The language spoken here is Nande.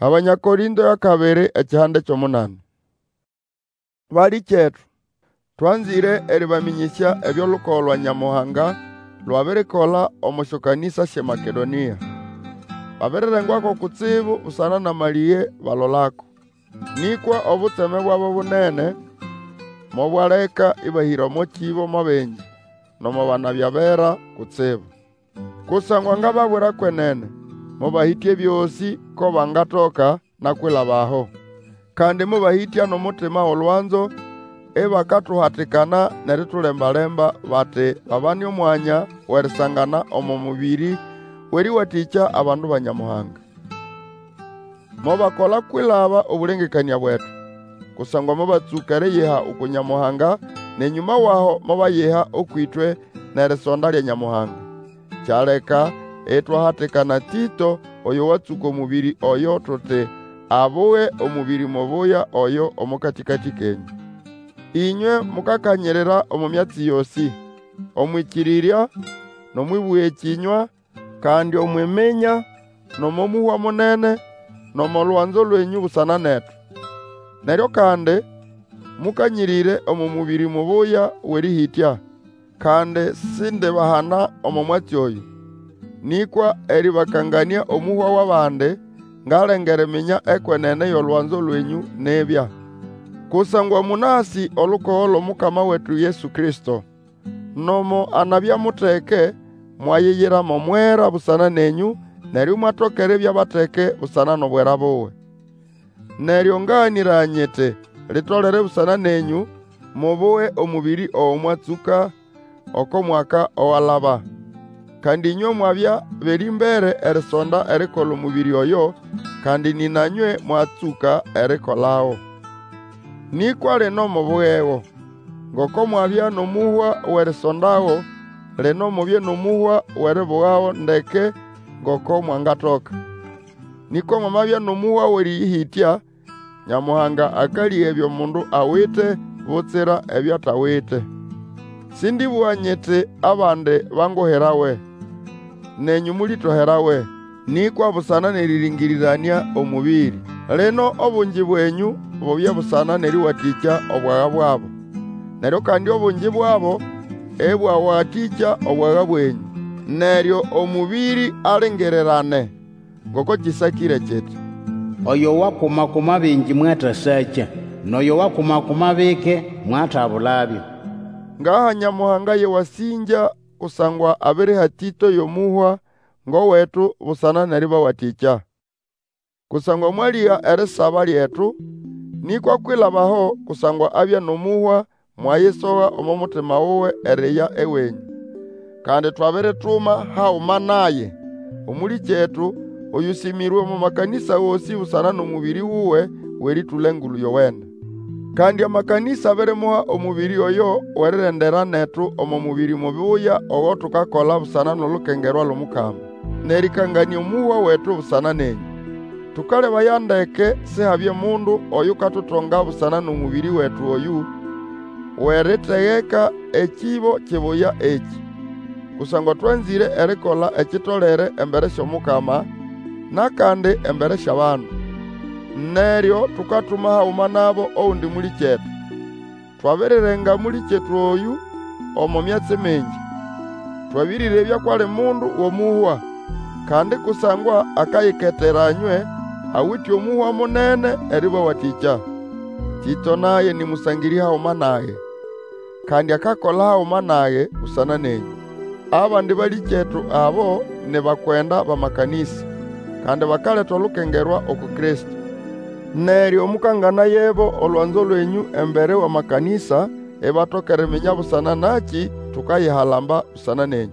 Abanya Korĩnto y'akabiri ekihanda ky'omunani. Balĩkyetu, twanzĩre erĩbamĩnyĩsya ebyo olukogo lwa Nyamuhanga lwabirikola omo syokanĩsa sy'eMakedonĩa. Babirirengwako kutsibu busana n'amalĩge balolako. Nĩkwa obutseme bwabo bunene mobwaleka ĩbahĩra omo kĩbo mo bingi, nomo banabya bera kutsibu. Kusangwa ngababwira kwenene, mobahĩtya ebyosĩ ko bangatoka, na kwilaba aho. Kandi mobahĩtya n'omutima w'olwanzo, ibakatuhatikana n'eritulemba-lemba bati babane omwanya w'erisangana omo mũbĩrĩ w'erĩwatĩkya abandu ba Nyamuhanga. Mobakola kwilaba obũlengekanĩa bwetu. Kusangwa mobatsũka eriyiha uku Nyamuhanga, n'enyũma w'aho mobayiha ũkw'ĩtwe n'erisonda lya Nyamuhanga. Kyaleka itwahatikana Tĩto, oyo watsũka omũbĩrĩ oyo, tuti abuge omũbĩrĩ mubuya oyo omo katĩkatĩ kenyũ. Ĩnywe mukakanyirira omo myatsi yosĩ, omw'ĩkĩrĩrya, n'omw'ĩbũga ekĩnywa, kandi omw'iminya, n'omo mũhwa munene, n'omo lwanzo lwenyũ busana netu. Neryo kandi mũkanyĩrĩre omo mũbĩrĩ mubuya w'erĩhĩtya. Kandi sindibahana omo mwatsi oyũ. Nĩkwa erĩbakanganĩa omũhwa w'abandi, ngalenga eriminya ekwenene y'olwanzo lwenyũ nibya. Kusangwa mũnasĩ olukogo lw'Omukama wetu Yesu Kristo. Nomo anabya muteke, mwayiyira mo mwera busana nenyũ, neryo imwatoka eribya bateke busana n'obwera buwe. Neryo ngaganĩraya nyiti, litolere busana nenyũ, mubuge omũbĩrĩ ogo mwatsũka oko mwaka owalaba. Kandi ĩnywe mwabya b'erĩmbere erisonda erikola omũbĩrĩ oyo, kandi nĩna nywe mwatsũka erikolago. Nĩkwa lino mubugego. Ngoko mwabya n'omũhwa w'erisondago, lino mubye n'omũhwa w'eribugago ndeke ngoko mwangatoka. Nĩkwa mwamabya n'omũhwa w'erĩyĩhĩtya, Nyamuhanga akalĩga ebyo mundu awite, butsira ebyo atawite. Sĩndĩbũga nyiti abandi banguhirawe, nenyũ mũlĩtoherawe, nĩkwa busana n'erĩrĩngĩrĩranĩa omũbĩrĩ. Lino obungi bwenyũ bubye busana n'erĩwatĩkya obwaga bwabo. Neryo kandi obungi bwabo ĩbwawatĩkya obwaga bwenyũ. Neryo omũbĩrĩ alingirirane, ngoko kĩsakĩre kiti, Oyo wakuma-kuma bingi mwatasakya, N'oyo wakuma-kuma bike mwatabulabyo. Ngaha Nyamuhanga y'ewasĩngya kusangwa abiriha Tĩto y'omũhwa ng'owetu busana n'erĩbawatĩkya. Kusangwa mwalĩga erisaba lyetu, nĩkwa kwilaba aho kusangwa abya n'omũhwa, mwayisoga omo mutima wuwe eriya ewenyũ. Kandi twabirituma haguma naye, omũlĩkyetu, oyũsĩmĩrwe omo makanĩsa gosĩ busana n'omũbĩrĩ wuwe w'erĩtũla Engulu Yowene. Kandi amakanĩsa abirimuha omũbĩrĩ oyo w'erirendera netu omo mũbĩrĩ mubuya ogo tukakola busana n'olukengerwa l'Omukama, n'erĩkanganĩa omũhwa wetu busana nenyũ. Tũkalebaya ndeke Sihabye mundu oyukatutonga busana n'omũbĩrĩ wetu oyũ w'eritegeka ekĩbo kibuya ekĩ. Kusangwa twanzĩre erikola ekitolere embere sy'Omukama, n'akandi embere sy'abandu. Neryo tukatuma haguma nabo ogundi mũlĩkyetu. Twabirirenga mũlĩkyetu oyũ omo myatsi mingi. Twabĩrĩrebya kw'ali mundu w'omũhwa. Kandi kusangwa akayiketera nywe, awite omũhwa munene erĩbawatĩkya. Tĩto naye nĩ mũsangĩrĩ haguma nage, kandi akakola haguma nage busana nenyũ. Abandi balĩkyetu abo ni bakwenda b'amakanĩsa, kandi bakaleta olukengerwa uku Kristo. Neryo mũkanganayebo olwanzo lwenyũ embere w'amakanĩsa, ibatoka eriminya busana nakĩ tukayihalamba busana nenyũ.